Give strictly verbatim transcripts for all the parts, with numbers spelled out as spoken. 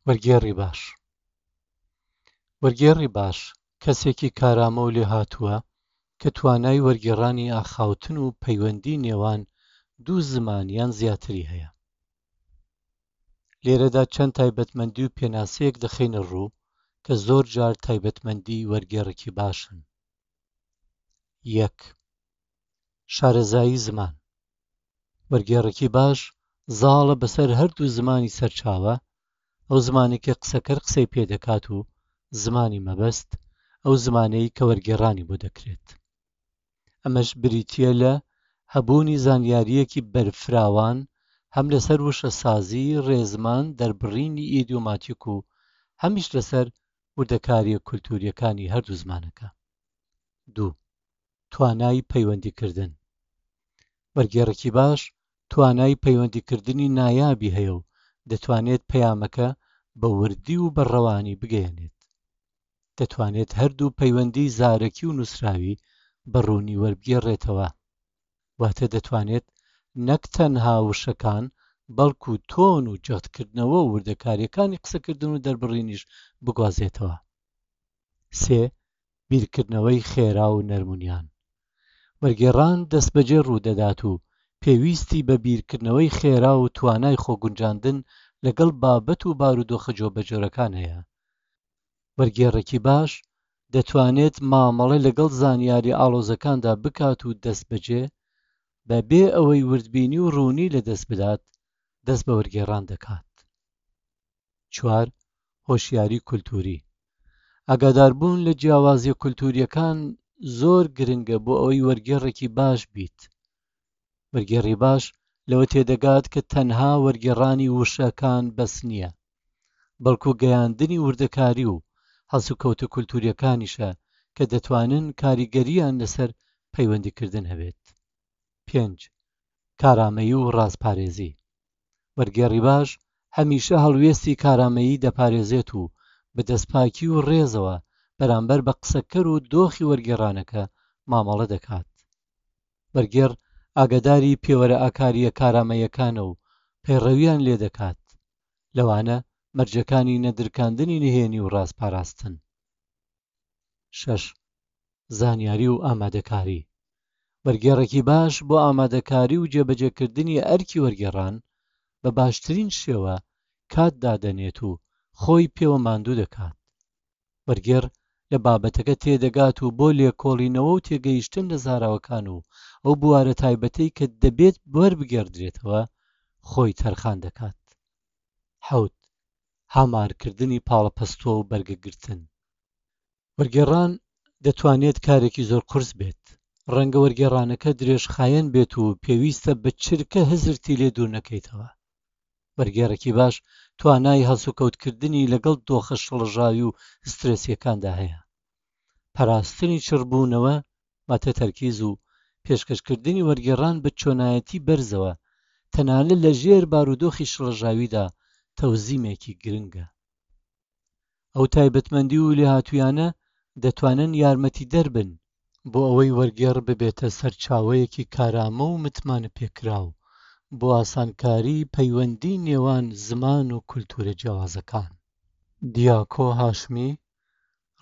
وەرگێڕی باش. وەرگێڕی باش کەسێکی کارامە و لێهاتووە کە توانای وەرگێڕانی ئاخاوتن و پەیوەندی نێوان دوو زمان یان زیاتری هەیە. لێرەدا چەند تایبەتمەندی و پێناسەیەک دەخەینە ڕوو کە زۆر جار تایبەتمەندی وەرگێڕێکی باشن. یەک، شارەزایی زمان. وەرگێڕێکی باش زاڵە بەسەر هەردوو زمانی سەرچاوە، ئەو زمانەی کە قسەکەر قسەی پێدەکات و زمانی مەبەست، ئەو زمانەی کە وەرگێڕانی بۆ دەکرێت. ئەمەش بریتییە لە هەبوونی زانیارییەکی بەرفراوان هەم لەسەر وشەسازی، ڕێزمان، دەربڕینی ئیدیۆماتیک و هەمیش لەسەر وردەکارییە کولتوورییەکانی هەردوو زمانەکە. دوو، توانای پەیوەندیکردن. وەرگێڕێکی باش توانای پەیوەندیکردنی نایابی هەیە و دەتوانێت پەیامەکە بە وردی و بە ڕەوانی بگەیەنێت. دەتوانێت هەردوو پەیوەندی زارەکی و نووسراوی بە ڕوونی وەربگێڕێتەوە. واتە دەتوانێت نەک تەنها وشەکان بەڵکو تۆن و جەختکردنەوە و وردەکاریەکانی قسەکردن و دەربڕینیش بگوازێتەوە. سێ، بیرکردنەوەی خێرا و نەرمونیان. وەرگێڕان دەستبەجێ ڕوودەدات و پێویستی بە بیرکردنەوەی خێرا و توانای خۆگونجاندن لەگەڵ بابەت و بارودۆخە جۆبەجۆرەکان هەیە. وەرگێڕێکی باش دەتوانێت مامەڵە لەگەڵ زانیاری ئاڵۆزەکاندا بکات و دەستبەجێ بەبێ ئەوەی وردبینی و ڕوونی لەدەست بدات دەست بە وەرگێڕان دەکات. چوار، هۆشیاری کولتووری. ئاگاداربوون لە جیاوازیە کولتووریەکان زۆر گرنگە بۆ ئەوەی وەرگێڕێکی باش بیت. وەرگێڕی باش لەوە تێدەگات کە تەنها وەرگێڕانی وشەکان بەس نییە، بەڵکو گەیاندنی وردەکاری و هەڵسوکەوتە کولتووریەکانیشە کە دەتوانن کاریگەریان لەسەر پەیوەندیکردن هەبێت. پێنج، کارامەیی و ڕازپارێزی. وەرگێڕی باش هەمیشە هەڵوێستی کارامەیی دەپارێزێت و بە دەستپاکی و ڕێزەوە بەرامبەر بە قسەکەر و دۆخی وەرگێڕانەکە مامەڵە دەکات. وەرگێڕ ئاگاداری پێوەرە ئاکاریە کارامەیەکانە و پەیڕەویان لێ دەکات، لەوانە مەرجەکانی نەدرکاندنی نهێنی و ڕازپاراستن. شەش، زانیاری و ئامادەکاری. وەرگێڕێکی باش بۆ ئامادەکاری و جێبەجێکردنی ئەرکی وەرگێڕان بە باشترین شێوە کات دادەنێت و خۆی پێوە ماندوو دەکات. وەرگێڕ لە بابەتەکە تێدەگات و بۆ لێکۆڵینەوە و تێگەیشتن لە زاراوەکان و ئەو بوارە تایبەتەی کە دەبێت وەربگێڕدرێتەوە خۆی تەرخان دەکات. حەوت، هامارکردنی پاڵەپەستۆ و بەرگەگرتن. وەرگێڕان دەتوانێت کارێکی زۆر قورس بێت. ڕەنگە وەرگێڕانەکە درێژخایەن بێت و پێویستە بە چرکە هزرتی لێ دوور نەکەیتەوە. وەرگێڕێکی باش توانای هەڵسوکەوتکردنی لەگەڵ دۆخە شڵەژاوی و سترێسیەکاندا هەیە. پاراستنی چڕبوونەوە واتە تەرکیز و پێشکەشکردنی وەرگێڕان بە چۆنایەتی بەرزەوە تەنانەت لە ژێر بارودۆخی شڵەژاویدا تەوزیمێکی گرنگە. ئەو تایبەتمەندی و لێهاتوویانە دەتوانن یارمەتی دەربن بۆ ئەوەی وەرگێڕ ببێتە سەرچاوەیەکی کارامە و متمانە پێکراو بۆ ئاسانکاری پەیوەندی نێوان زمان و کولتوورە جیاوازەکان. دیاکۆ هاشمی،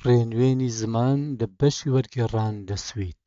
ڕێنوێنی زمان لە بەشی وەرگێڕان لە سوید.